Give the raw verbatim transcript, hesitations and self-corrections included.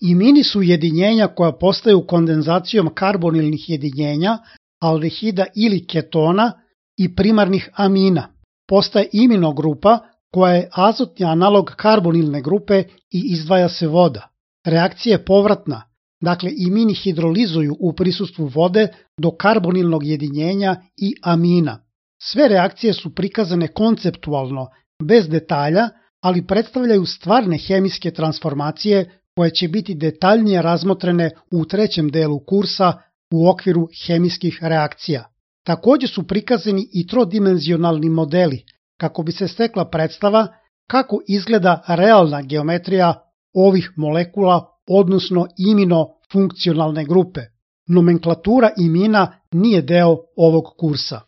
Imini su jedinjenja koja postaju kondenzacijom karbonilnih jedinjenja, aldehida ili ketona i primarnih amina. Postaje iminogrupa koja je azotni analog karbonilne grupe i izdvaja se voda. Reakcija je povratna, dakle imini hidrolizuju u prisustvu vode do karbonilnog jedinjenja i amina. Sve reakcije su prikazane konceptualno, bez detalja, ali predstavljaju stvarne hemijske transformacije koje će biti detaljnije razmotrene u trećem delu kursa u okviru hemijskih reakcija. Također su prikazani i trodimenzionalni modeli, kako bi se stekla predstava kako izgleda realna geometrija ovih molekula, odnosno imino-funkcionalne grupe. Nomenklatura imina nije deo ovog kursa.